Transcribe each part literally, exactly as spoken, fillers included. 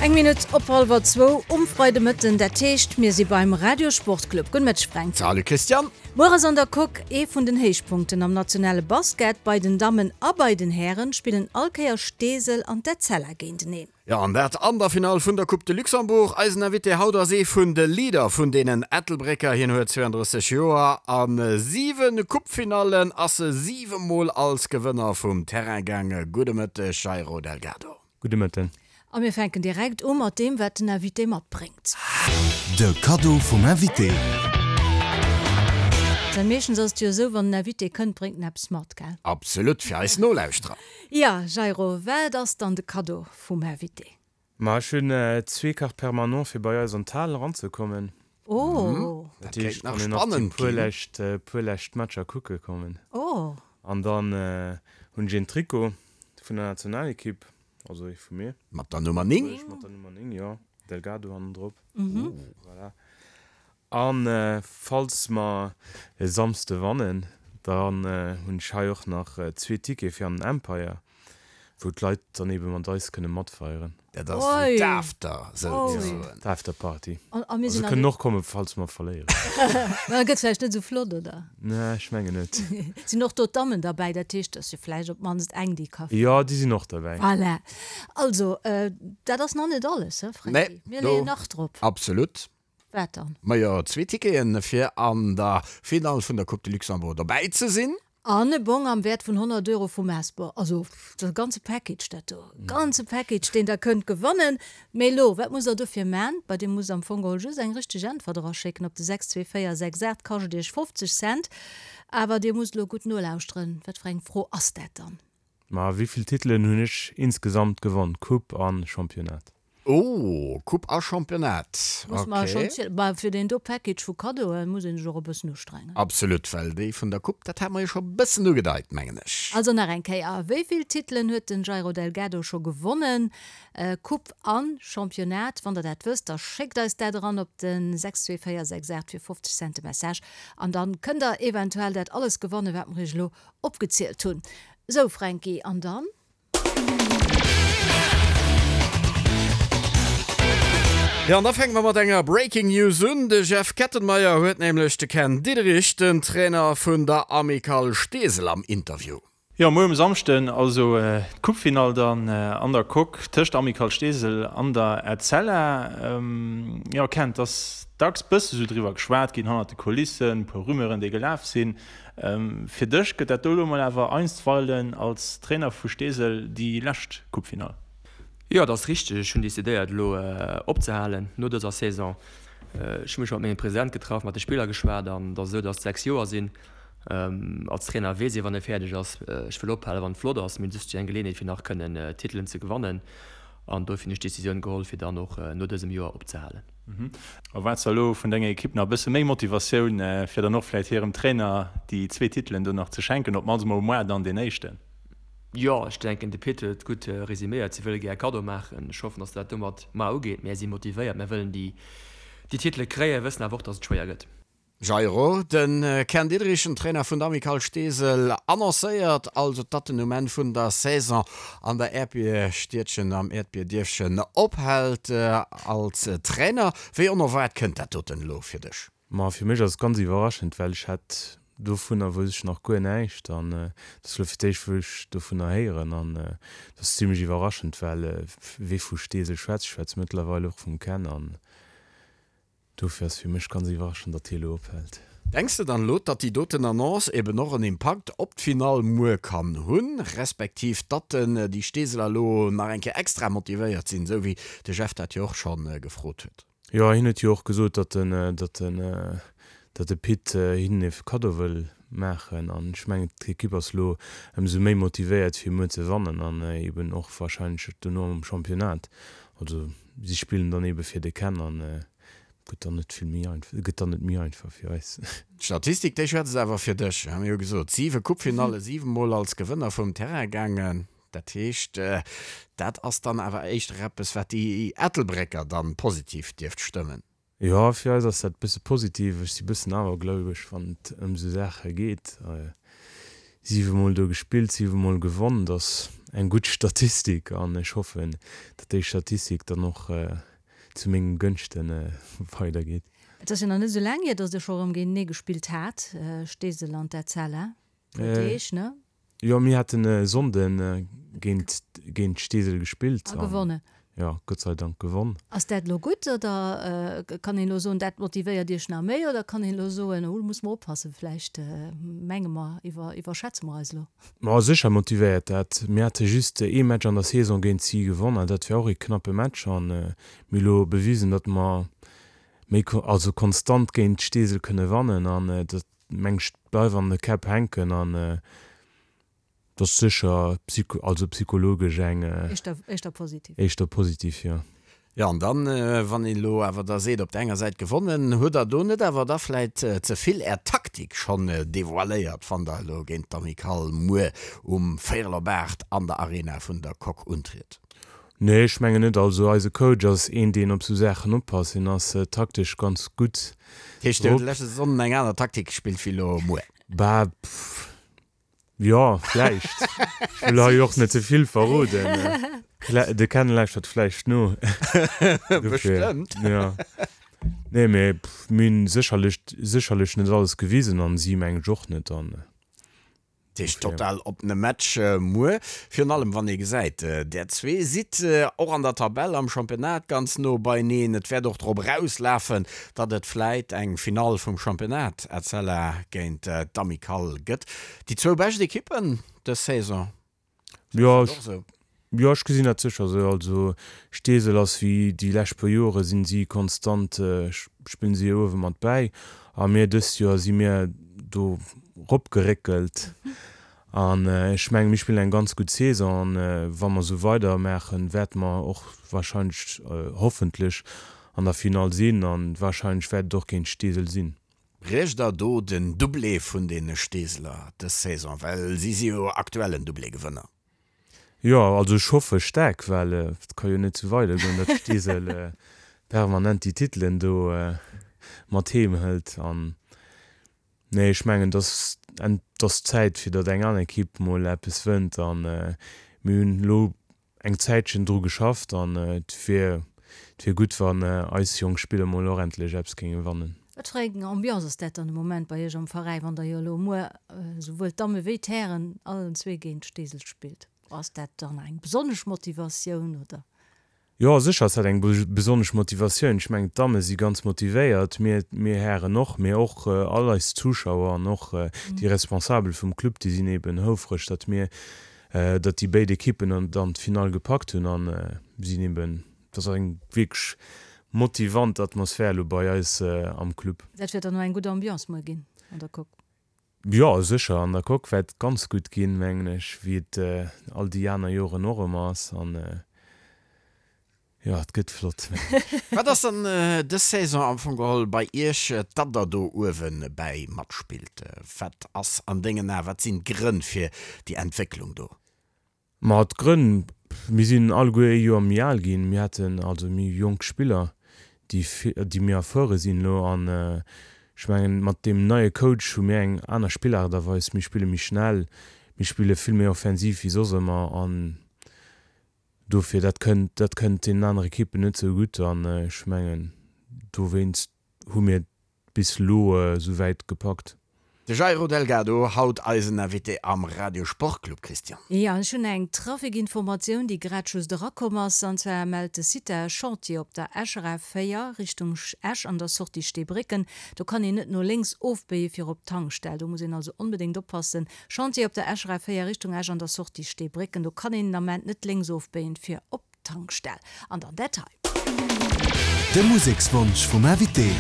Eng Minutt op hallwer zwou um Freidemëtten, dat heescht, mir si beim Radiosportclub. Gudde Mëtteg, Fränk. Salut Christiane. Muer ass an der Coque ee vun den Héichpunkten am nationale Basket. Bei den Dammen a bei den Hären spillen all Kéier Steesel an d'Etzella géinteneen. Jo, an dat an der Finall vun der Coupe de Luxembourg. Eisen Invité haut ass ee vun de Leader vun deenen Ettelbrécker. Hien huet zweeandrësseg Joer. A siwe Coupefinallen ass e siwe Mol als Gewënner vum Terrain gaangen. Gudde Mëtteg, Jairo Delgado. Gudde Mëtten. A mir fänken direkt u mat deem, wat den Invité matbréngt. De Kaddo vum Invité. Well meeschtens ass et jo esou, wann en Invité kënnt, bréngt en eppes mat, gell? Absolut, fir eis Nolauschterer. Jo, Jairo, wat ass dann de Kaddo vum Invité? Ma ech hunn zwee Cartes permanents fir bei eis an d'Hal eranzekommen. Oh! Dat heescht, kann een nach déi puer lescht, puer lescht Matcher kucke kommen. Oh! An dann hunn ech een Trikot vun der Nationalekipp. Also ee vu mir. Mat der Nummer néng? Mat der Nummer néng, jo. Delgado hannendrop. Voilà. A falls mer e Samsde wannen, dann hunn ech hei och nach zwee Tickete fir an den Empire, wou d'Leit dann eebe mat eis kënne matfeieren. Dat ass dann d'After, souzesoen. D'Afterparty. A mir Se sinn an kënnen och kommen, falls mer verléieren. Ma gëtt vläicht net esou flott, oder? Nee, ech mengen net. Sinn och do d'Dammen derbäi? Dat heescht, et ass jo vläicht op d'mannst eng, déi ka. Jo, déi sinn och derbäi. Voilà. Also, dat ass nach net alles, he Franky? Nee, Mir do leeën nach drop. Absolut. Wat dann? Majo, zwee Ticketen, fir an der Finall vun der Coupe de Luxembourg dobäi ze sinn. An e Bong am Wäert vun honnert Euro vum Hesper. Also, dat ass e ganze Package, dat do. E ganze Package, deen Der kënnt gewannen. Mee elo, wat musst Der dofir man? Bei Dir musst am Fong geholl just eng richteg Äntwert eraschécken op de sechs zwee véier sechs aacht. Kascht Iech fofzeg Cent. Awer Dir musst elo gutt nolauschteren. Wat fir eng Fro ass dat dann? Ma wéi vill Titelen hunn ech insgesamt gewonn, Coupe a Championnat? Oh, Coupe a Championnat, Muss mer schonn ok. zielen. Bah, fir deen do Package vu Kaddoe muss een sech och e bëssen ustrengen. Absolut, well déi vun der Coupe, dat hat mer jo scho e bëssen ugedeit, mengen ech. Also nach eng Kéier, Wéi vill Titelen huet den Jairo Delgado scho gewonnen, Coupe an Championnat? Wann der dat wësst, da schéckt eis dat eran op de sechs zwee véier sechs aacht fir fofzeg Cent de Message an dann kënnt der eventuell dat alles gewannen, wat mer iech elo opgezielt hunn. Sou Fränki, an dann? Jo, an da fänke mer mat enger Breaking News un. De Jeff Kettenmeyer huet nämlech de Ken Diederich, den Trainer vun der Amicale Steesel am Interview. Jo, muer um Samschden also d'Coupefinall dann an der Coque tëscht Amicale Steesel an der Etzella. Jo, Ken, et ass dacks bësse sou driwwer geschwat ginn hannert de Kulissen, e puer Rumeuren, déi gelaf sinn. Fir dech gëtt dat do elo mol awer einstweilen als Trainer vu Steesel déi lescht Coupefinall? Jo, dat ass richteg. Ech hunn decidéiert elo opzehalen no dëser Saison. Ech hu mech mat mengem President getraff, mat de Spiller geschwat an et ass esou, datt et sechs Joer sinn. Als Trainer weess ee wann ee fäerdeg ass. Ech wëll ophalen, wann et flott ass. Mir hunn just eng Geleeënheet fir nach kënnen Titelen ze gewannen an dofir hunn ech d'Decisioun geholl, fir dann och no dësem Joer opzehalen. Erwaarts de elo vun denger Ekipp nach e bësse méi Motivatioun, fir dann och vläicht hirem Trainer déi zwee Titelen do nach ze schenken, op d'mannst mol moar dann deen éischten? Jo, ech denken, de Pit huet et gutt resuméiert. Si wëlle gär e Kaddo maachen. Ech hoffen, datt dat domat mar ugeet. Mär si motivéiert, mär wëllen déi Titele kréien, wëssen awer och, datt et schwéier gëtt. Jairo, De Ken Diederich, den Trainer vun der Amicale Steesel, annoncéiert also, datt en um Enn vun der Saison an der Äerdbierstiedchen, am Äerdbierdierfchen ophält als Trainer. Wéi onerwaart kënnt dat doten elo fir dech? Ma fir mech ass et ganz iwwerraschend, well ech hat Dovunner wousst ech nach guer näischt an et ass elo fir d'éischt wou ech dovunner héieren an et ass zimlech iwwerraschend, well wee vu Steesel schwätzt, schwätzt mëttlerweil och vum Ken an dofir ass fir mech ganz iwwerraschend, datt hie elo ophält. Denks de dann elo, datt déi doten Annonce eben och en Impakt op d'Finall muer kann hunn, respektiv datt déi Steeseler elo nach eng Kéier extra motivéiert sinn, esou wéi de Jeff dat jo och scho gefrot huet? Jo, hien huet jo och gesot, datt den, datt den, datt de Pit hinnen e Kaddo wëll maachen. An ech mengen, d'Ekipp ass elo ëmsou méi motivéiert, fir muer ze wannen an eben och warscheinlech dono am Championnat. Also si spillen dann ebe fir de Ken an gëtt dann net vill méi einfach, gëtt dann net méi einfach fir eis. D'Statistik, déi schwätzt awer fir dech. Mir hu gesot, siwe Coupe-Finalle, siwe Mol als Gewënner vum Terrain gaangen. Dat heescht, dat ass dann awer éischter eppes, wat déi Ettelbrécker dann positiv dierft stëmmen. Jo, fir eis ass dat e bësse positiv. Ech si bëssen awergläubeg, wann et ëm esou Saache geet. Siwe Mol do gespillt, siwe Mol gewonn, dat ass eng gutt Statistik an ech hoffen, datt déi Statistik dann och zu mengem Gënschten weidergeet. Et ass jo nach net esou laang hier, datt der scho erëm géintenee gespillt hat, Steesel an d'Etzella. Puer Deeg, ne? Jo, mir haten e Sonnden géint géint Steesel gespillt. A gewonnen. Jo, Gott sei Dank gewonn. Ass dat elo gutt oder kann een elo soen, dat motivéiert Iech nach méi oder kann een elo soen, oh, do musse mer oppassen, vläicht menge mer, iwwer iwwerschätze mer eis elo? Ma sécher motivéiert dat. Mir hate just ee Match an der Saison géint si gewonn an dat war och ee knappe Match an mir hu elo bewisen, datt mer méi also konstant géint Steesel kënne wannen an dat meng ech bleift an de Käpp hänken an dat ass sécher psycho also psychologesch eng Éischter éischter positiv. Éischter positiv, jo. Jo, an dann, wann een elo awer da seet, op der enger Säit gewonnen, hutt Der do net awer da vläit ze vill Är Taktik schonn devoiléiert, wann Der elo géint d'Amicale muer um véierel op aacht an der Arena vun der Coque untritt? Nee, ech mengen net. Also eise Coach ass een, deen op sou Saachen oppasst. Hien ass taktesch ganz gutt Dat heescht, Dir hutt drop. leschte Sonnden eng aner Taktik gespillt wéi elo muer? Bah, pff, jo, vläicht. Ech wëll hei och net ze vill verroden. De Ken lauschtert vläicht no. Dofir, Bestëmmt. jo. Nee, mee pff, mir hunn sécherlech, sécherlech net alles gewisen an si mengen ech och net. An Dat heescht total oppene Match muer, virun allem wann ee gesäit, där zwee sidd och an der Tabell am Championnat ganz no beineen. Et wäert och drop erauslafen, datt et vläit eng Finall vum Championnat Etzella géint d'Amicale gëtt. Déi zwou bescht Ekippen dës Saison. Jo, jo, ech gesinn dat sécher esou. Also Steesel ass wéi déi lescht puer Jore sinn si konstant, spillen si uewe mat bäi a mir dëst Joer si mir do ropgeréckelt an ech mengen, mir spillen eng ganz gutt Saison an wa mer esou weidermaachen, wäerte mer och wahrscheinlech, hoffentlech an der Finall sinn an wahrscheinlech wäert et och géint Steesel sinn. Briecht der do den Doublé vun de Steeseler dës Saison, well si si jo aktuellen Doublé-Gewënner? Jo, also ech hoffe staark, well et ka jo net esou weidergoen, datt Steesel permanent déi Titelen do mat heem hëlt. An nee, ech mengen, et ass, et ass Zäit, fir datt eng aner Ekipp mol eppes wënnt. An mir hunn elo eng Zäitchen dru geschafft an et wier, et wier gutt, wann eis jonk Spiller mol och endlech eppes géinge wannen. Wat fir eng Ambiance ass dat dann de Moment bei Iech am Veräi, wann der jo elo muer esouwuel d'Damme wéi d'Hären allen zwee géint Steesel spillt? Ass dat dann eng besonnesch Motivatioun, oder? Jo, sécher ass dat eng besonnesch Motivatioun. Ech mengen, d'Damme si ganz motivéiert, mir, mir Hären och, mee och all eis Zuschauer an och déi Responsabel vum Club, déi sinn eben houfreg, datt mir, datt déi béid Ekippen dann d'Finall gepackt hunn an sinn eben, et ass eng wierklech motivant Atmosphär elo bei eis am Club. Dat wäert dann och eng gutt Ambiance muer ginn an der Coque. Jo, sécher. An der Coque wäert et ganz gutt ginn, mengen ech, wéi et all déi aner Joren och ëmmer ass. An jo, et gëtt flott, mengen ech. Wat ass dann dës Saison am Fong geholl bei Iech, datt Der do uewe bäi matspillt? Wat ass an dengen Aen, wat sinn d'Grënn fir déi Entwécklung do? Ma d'Grënn, mir sinn alleguer ee Joer méi al ginn, mir haten also méi jonk Spiller, déi déi méi erfuere sinn elo an ech mengen, mat deem neie Coach hu mir eng aner Spillaart a Weis, mir spille méi schnell, mir spille vill méi offensiv wéi soss ëmmer an dofir, dat kënnt dat kënnt deenen anere Ekippen net sou gutt an ech mengen, dowéinst hu mir bis elo esou wäit gepackt. De Jairo Delgado, haut eisen Invité am Radio Sportclub, Christian. Jo, ech hunn eng Trafikinformatioun, déi grad just erakomm ass. An zwar mellt de Site e Chantier op der Escher A véier Richtung Esch an der Sortie Steebrécken. Do kann een net no lénks ofbéie fir op d'Tankstell. Do muss een also onbedéngt oppassen. Chantier op der Escher A véier Richtung Esch an der Sortie Steebrécken. Do kann een den Ament net lénks ofbéien fir op Tankstell. An dann dat hei. De Musekswonsch vum Invité.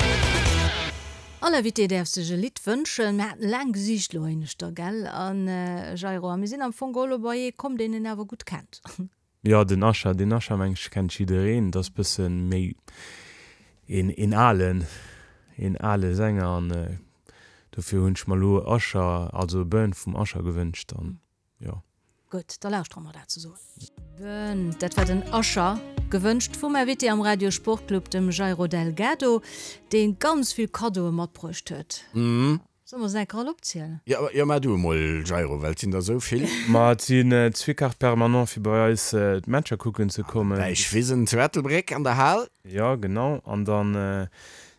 All Invité däerf sech e Lidd wënschen. Mir haten laang gesicht elo éineschter, gell? An Jairo, a mir sinn am Fong geholl elo bei ee komm, deen een awer gutt kennt. Jo, den Usher, den Usher meng ech kennt jiddereen. Dat ass bëssen méi een, een alen, een ale Sänger an dofir hunn ech mer elo Usher, also Burn vum Usher gewënscht an jo. Gutt, da lauschtere mer dat zesummen. Burn, dat war den Usher, gewënscht vum Invité am Radio Sportclub, dem Jairo Delgado, dee ganz vill Kaddoe matbruecht huet. Solle mer se enker all opzielen? Jo, jo, maach du emol, Jairo, well et sinn der esou vill. Ma et sinn zwee Cartes permanents fir bei eis d'Matcher kucken ze kommen. Däichwisen zu Ettelbréck an der Hal. Jo, genau. An dann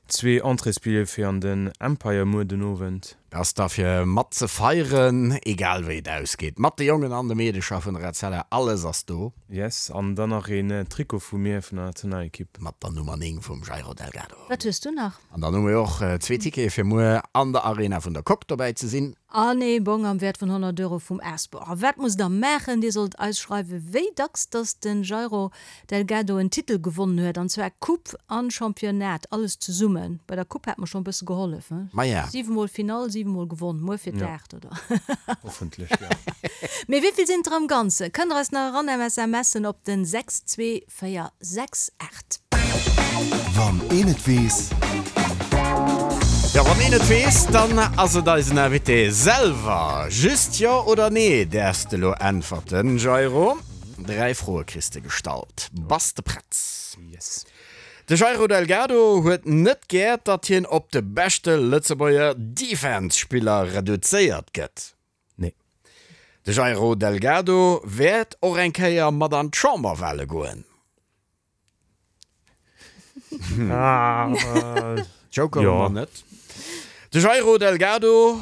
zwee Entréesbillete fir an den Empire muer den Owend. Ass da fir mat ze feieren, egal wéi et ausgeet. Mat de Jongen an de Meedecher vun der Etzella, alles ass do. Yes, an dann nach een Trikot vu mir vun der Nationalekipp. Mat der Nummer néng vum Jairo Delgado. Wat hues du nach? An dann hu mir och zwee Tickete fir muer an der Arena vun der Coque dobäi ze sinn. An ee Bong am Wäert vun honnert Euro vum Asbor. A wat musst der maachen? Dir sollt eis schreiwen, wéi dacks dass den Jairo Delgado en Titel gewonnen huet, an zwar Coupe an Championnat, alles zesummen. Bei der Coupe hat mer schonn e bësse gehollef, he? Maja. Siwe mol Finall, siwe mol gewonn. Muer fir d'Aacht, oder? Hoffentlech, jo. Mee wéi vill sinn et der am Ganze? Kënnt der eis nach eran SMSen op den sechs zwee véier sechs aacht. Wann een et weess. Jo, wann een et weess, dann ass et eisen Invité selwer. Just Jo oder Nee däerfs de lo äntwerten, Jairo. Dräi Froe kriss de gestallt. Bass de prett? Yes. De Jairo Delgado huet net gär, datt hien op de beschte Lëtzebuerger Defense-Spiller reduzéiert gëtt. Nee. De Jairo Delgado wäert och eng Kéier mat an d'Chamberwale goen. Joker hu mer net. De Jairo Delgado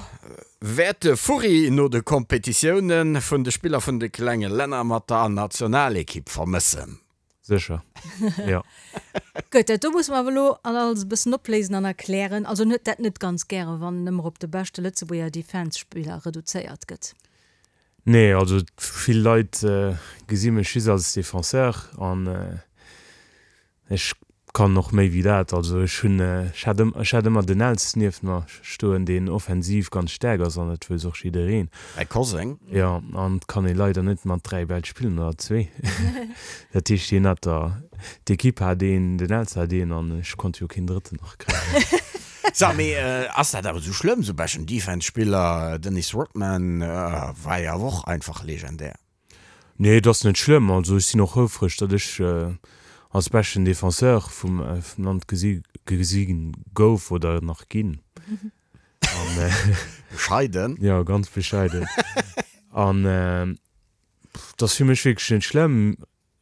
wäert de Furri no de Kompetitioune vun de Spiller vun de klenge Länner mat der Nationalekipp vermëssen. Sécher, jo. Gutt, dat do musse mer awer elo alles e bëssen opléisen an erklären. Also en huet dat net ganz gären, wann en ëmmer op de beschte Lëtzebuerger Defense-Spiller reduzéiert gëtt. Nee, also vill Leit gesi mech just als Defenseur an ech kann och méi wéi dat. Also ech hunn, ech hat ech hat ëmmer den Els nieft mer stoen, deen offensiv ganz staark ass an dat wëss och jiddereen. Däi Koseng? Jo, an et kann ee leider net mat dräi Bäll spillen oder zwee. Dat heescht, hien hat der, d'Ekipp hat een, den Els hat een an ech konnt jo keen drëtten nach kréien. So, mee ass dat awer esou schlëmm, esou beschten Defense-Spiller? Dennis Rodman war jo awer och einfach legendär. Nee, et ass net schlëmm. Also ech sinn och houfreg, datt ech als beschten Defenseur vum Land gesi gesi gouf oder nach ginn. An Bescheiden. Jo, ganz bescheiden. An et ass fir mech wierklech net schlëmm,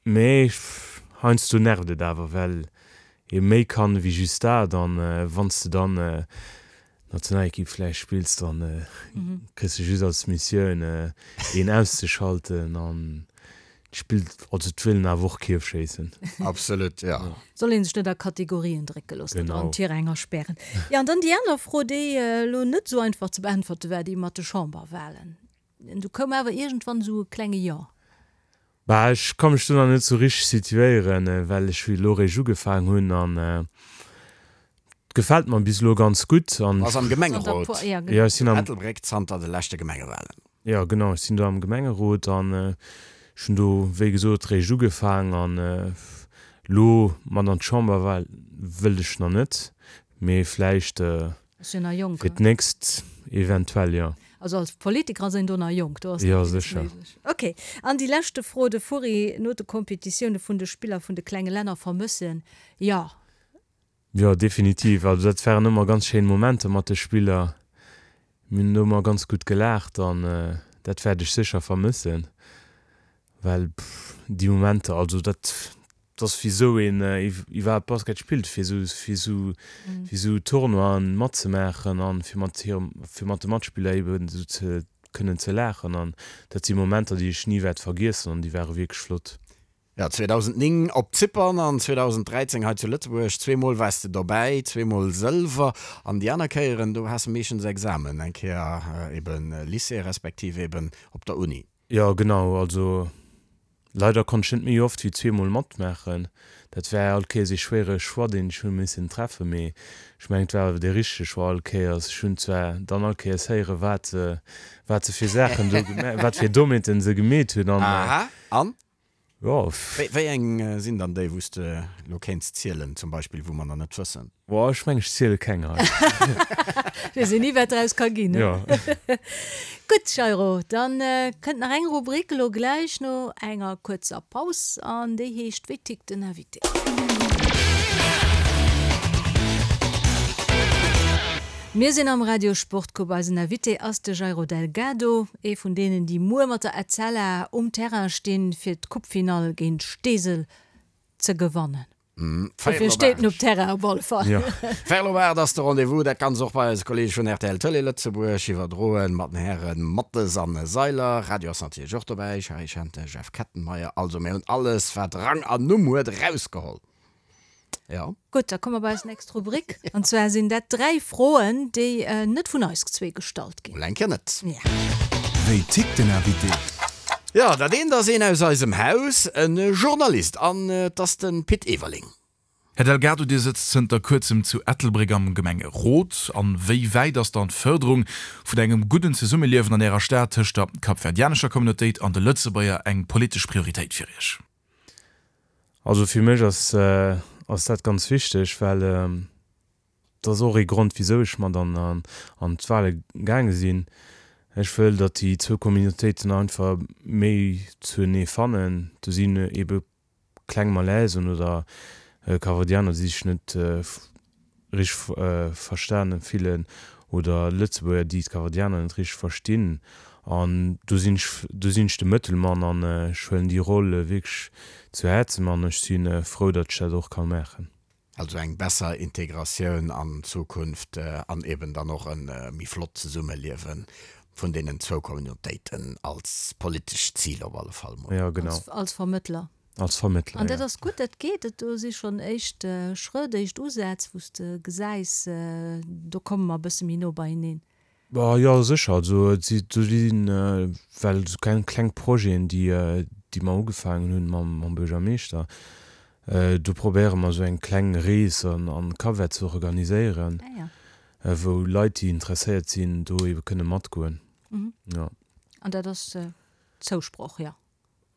mee heiansdo nervt et awer, well ee méi kann ewéi just dat. An wann s de dann Nationalekipp vläicht spills, dann kriss de just als Missioun een auszeschalten an d'spillt, also d'wëllen awer och Kierf schéissen. Absolut, jo. Soll een sech net a Kategorien drécke loossen oder an Genau. Tiräng aspären. Jo, an dann déi aner Fro, déi elo net esou einfach ze beäntwerte war, déi mat de Chamberwahlen. Du koum awer iergendwann esou e klenge Jo. Bah, ech ka mech do nach net esou richteg situéieren, well ech elo réischt ugefaang hunn an et gefält mer bis elo ganz gutt. An Bass am Gemengerot Jo, ech sinn am. Ettelbréck zanter de leschte Gemengewahlen. Jo, genau, ech sinn do am Gemengerot an ech hunn do, wéi gesot, réischt ugefaang an elo mat an d'Chamberwahl wëllt ech nach net, mee vläicht Ass jo nach jonk, fir d'nächst eventuell, jo. Also als Politiker ass een do nach jonk, do ass Jo, nach villes sécher. méiglech. Ok, an déi leschte Fro, de Furri no de Kompetitioune vun de Spiller vun de klenge Länner vermëssen, jo. Jo, definitiv. Also dat waren ëmmer ganz schéin Momenter mat de Spiller. Mir hunn do ëmmer ganz gutt gelaacht an dat wäert ech sécher vermëssen, well déi Momenter, also dat ass wisou een iwwerhaapt Basket spillt, fir esou fir esou fir esou Tournoien matzemaachen an fir mat hirem fir mat de Matspiller eben esou ze kënnen ze laachen an dat si Momenter, déi ech ni wäert vergiessen an déi ware wierklech flott. Jo, zweedausendnéng op Zypern an zweedausendräizéng hei zu Lëtzebuerg. Zweemol waars de dobäi, zweemol Sëlwer. An déi aner Kéieren, do has de meeschtens Examen, eng Kéier eben Lycée respektiv eben op der Uni. Jo, genau. Also leider konnt ech net méi oft wéi zweemol matmaachen. Dat war all Kéiers ee schwéiere Choix, deen ech hu missen treffen, mee ech mengen, et war awer dee richtege Choix all Kéiers. Ech hunn zwar dann all Kéiers héieren, wat se, wat se fir Saachen do gema-, wat fir Dommheeten se gemeet hunn an. Aha, an? Jo. Wéi eng sinn dann déi, wou s de elo kéints zielen, zum Beispill, wou mer nach net wëssen? Boah, ech mengen, ech ziele keng hei. Weess een ni, wat draus ka ginn, ne? Jo. Gutt, Jairo, dann kënnt nach eng Rubrik elo gläich no enger kuerzer Paus, an déi heescht Wéi tickt den Invité? Mir sinn am Radio Sportcoupe. Eisen Invité ass de Jairo Delgado, ee vun deenen, déi muer mat der Etzella um Terrain stinn, fir d'Coupefinall géint Steesel ze gewannen. Dofir steet en op Terrain op alle Fall. Véierel op aacht ass de Rendez-vous. Dat Ganzt och bei eise Kolleege vun rtl Tëlee Lëtzebuerg iwwerdroen mat den Häre Mathes an Seiler. Radio ass natierlech och dobäi, Shari Schente, Jeff Kettenmeyer. Also mir hunn alles wat Rang an Numm huet erausgeholl. Jo. Gutt, da komme mer bei eis nächst Rubrik. An zwar sinn dat dräi Froen, déi net vun eis zwee gestallt ginn. Mol eng Kéier net. Ja. Wéi tickt den Invité? Jo, dat eent ass een aus eisem Haus, e Journalist, an et ass de Pit Everling. Här Delgado, Dir sëtzt zënter kuerzem zu Ettelbréck am Gemengerot. An wéi wäit ass dann d'Fërderung vun engem gudden Zesummeliewen an Ärer Stad tëscht der kapverdianescher Communautéit an de Lëtzebuerger eng politesch Prioritéit fir Iech? Also fir mech ass ass dat ganz wichteg, well et ass och ee Grond wisou ech mat an an d'Wale gaange sinn. Ech wëll, datt déi zwou Communautéiten einfach méi zuenee fannen. Do sinn ebe kleng Malaisen oder Kapverdianer, déi sech net richteg verstane fillen oder Lëtzebuerger, déi d'Kapverdianer net richteg verstinn. An do sinn ech, do sinn ech de Mëttelmann an ech huelen déi Roll wierklech zu Häerzen an ech si frou, datt ech dat och ka maachen. Also eng besser Integratioun an Zukunft an eben dann och e méi flott Zesummeliewe vun deenen zwou Communautéiten als politescht Zil op alle Fall mol. Jo, genau. Als Vermëttler. Als Vermëttler, An dat jo. ass gutt, dat geet. Dat do si schonn éischt Schrëtt, éischt Usätz, wou s de gesäis, do komme mer e bësse méi no beieneen. Bah, jo, sécher. Also et si, do sinn well esou kleng, kleng Projeten, déi, déi mer ugefaangen hunn mam, mam Buergermeeschter. Do probéiere mer esou eng kleng Rees an, an Cap-Vert ze organiséieren, wou Leit, déi interesséiert sinn, do ebe kënne matgoen. Jo. An dat ass Zousproch, jo?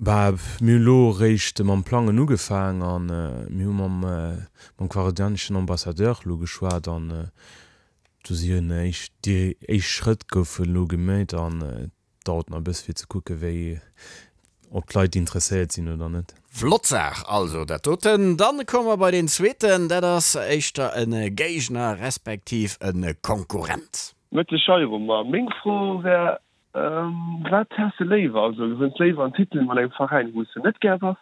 Bah, mir hunn elo eréischt mam Plangen ugefaang a mir hu mam, mam kapverdianeschen Ambassadeur elo geschwat an do sinn éischt, déi éischt Schrëtt goufen elo gemeet an et dauert nach e bësse fir ze kucke wéi, ob d'Leit interesséiert sinn oder net. Flott Saach also dat doten. Dann komme mer bei deen zweeten, dat ass éischter e Géigner respektiv e Konkurrent. Mëtteg Jairo, ma meng Fro wär, Wat häss de léiwer? Also gewënns léiwer en Titel mat engem Veräin wou s de net gär bass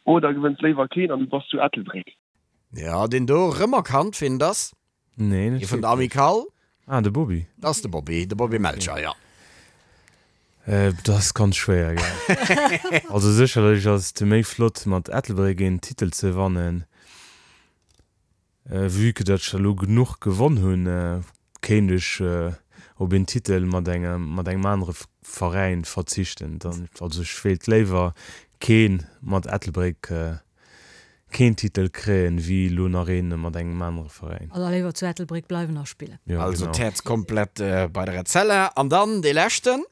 oder gewënns léiwer keen an du bass zu Ettelbréck? Jo, deen do erëm erkannt, wien et ass? Nee, net Ee vun der wierklech. Amicale. Ah, de Bobby. Dat ass de Bobby, de Bobby Melcher, jo. Dat ass ganz schwéier, gell. Also sécherlech ass et méi flott mat Ettelbréck een Titel ze wannen. Vue que datt ech der elo genuch gewonn hunn, kéint ech op een Titel mat engem mat engem anere Veräin verzichten. Dann, also ech wéilt léiwer kee mat Ettelbréck keen Titel kréien, wéi elo nach een mat engem anere Veräin. Also léiwer zu Ettelbréck bleiwen a spillen. Jo, Also genau. d'Häerz komplett bei der Etzella. An dann dee leschten.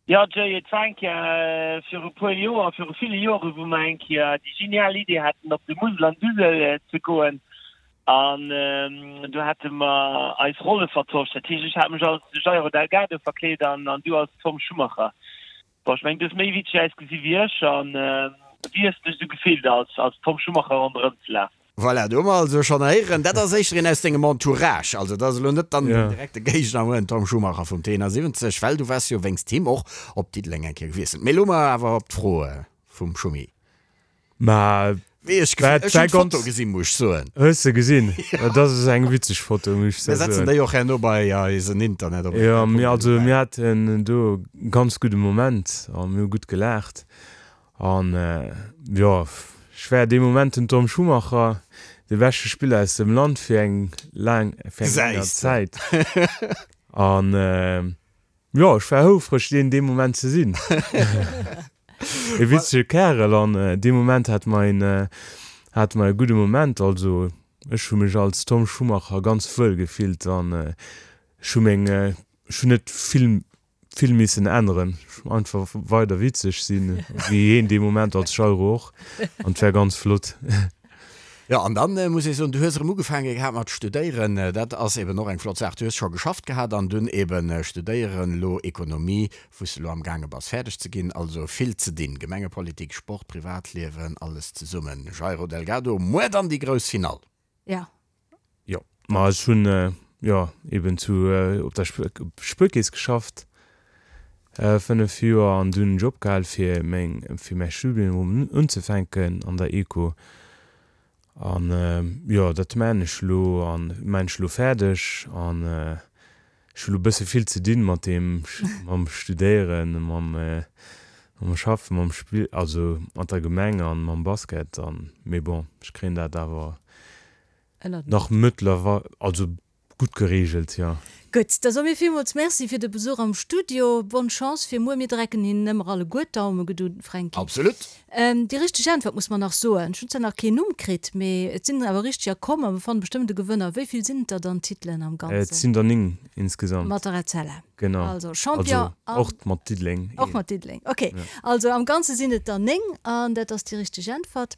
Jo, Jay, et war eng Kéier viru puer Joer, viru ville Joren, wou mer eng Kéier déi genial Idee haten, op de Musel an d'Usel ze goen. An do hate mer eis Rolle vertosch. Dat heescht, ech hat mech als Jairo Delgado verkleet an du als Tom Schumacher. Bon, ech mengen, du hues méi witzeg ausgesi wéi ech. An wéi hues de dech esou gefillt, als als Tom Schumacher ronderëm ze lafen? Voilà, do hu mer also schonn héieren, dat ass éischter een aus dengem Entourage, also dat ass elo net dann den direkte Géigner, den Tom Schumacher vum T siwwenzeg, well du waars jo wéinst him och op Diddeleng eng Kéier gewiesselt. Mee elo mer awer op d'Fro vum Schumi. Ma Wéi ech dat ech war hunn d'Foto ganz. gesinn, muss ech soen. Hues de gesinn? Dat ass eng witzeg Foto, muss ech Mir setzen soen. déi och herno bei eisen Internet op Jo, mir also rtl.lu. mir haten do e ganz gudde Moment a mir hu gutt gelaacht. An jo, ech war dee Moment den Tom Schumacher, de beschte Spiller aus dem Land fir eng laang, fir eng länger Gesäis de. Zäit. An jo, ech war houfreg, deen dee Moment ze sinn. E witzege Kärel an dee Moment hate mer een, hate mer e gudde Moment. Also ech hu mech als Tom Schumacher ganz wuel gefillt an ech hu meng, ech hunn net vill vill missen änneren, einfach weider witzeg sinn, wéi heen dee Moment als Jairo och, an et war ganz flott. Jo, an dann muss ech soen, du hues erëm ugefaange gehat mat studéieren, dat ass eben och eng flott Saach. Du hues scho geschafft gehat an dunn eben studéieren, elo Ekonomie, wou s de elo amgaange bass fäerdeg ze ginn. Also vill ze dinn, Gemengepolitik, Sport, Privatliewen, alles zesummen. Jairo Delgado, muer dann déi grouss Finall. Jo. Jo, ma ech hunn, jo eben zu op der Spuerkeess geschafft fënnef Joer an dunn hunn ech opgehal fir meng fir mäi Studium unzefänken an der Eco an jo dat maan ech elo an maan ech elo fäerdeg an ech hu lo bësse vill ze dinn mat deem mam Studéieren mam mam Schaffen mam Spill also mat der Gemeng an mam Basket an mee bon ech kréien dat awer nach mëttlerweil also gutt geregelt, jo. Gutt, da soe mir villmools Merci fir de Besuch am Studio. Bonne Chance fir muer. Mir drecken hinnen ëmmer alleguer d'Daume, gedu Fränki. Absolut. Déi richteg Äntwert muss mer nach soen. Ech hunn zwar nach keen Numm kritt, mee et sinn awer richteger komm a mer fanne bestëmmt e Gewënner. Wéi vill sinn et der dann Titelen am Ganzen? Et sinn der néng insgesamt. Mat der Etzella. Genau. Also Champion an. Also och mat Diddeleng. Och mat Diddeleng, ok. Also am Ganze sinn et der néng an dat ass déi richteg Äntwert.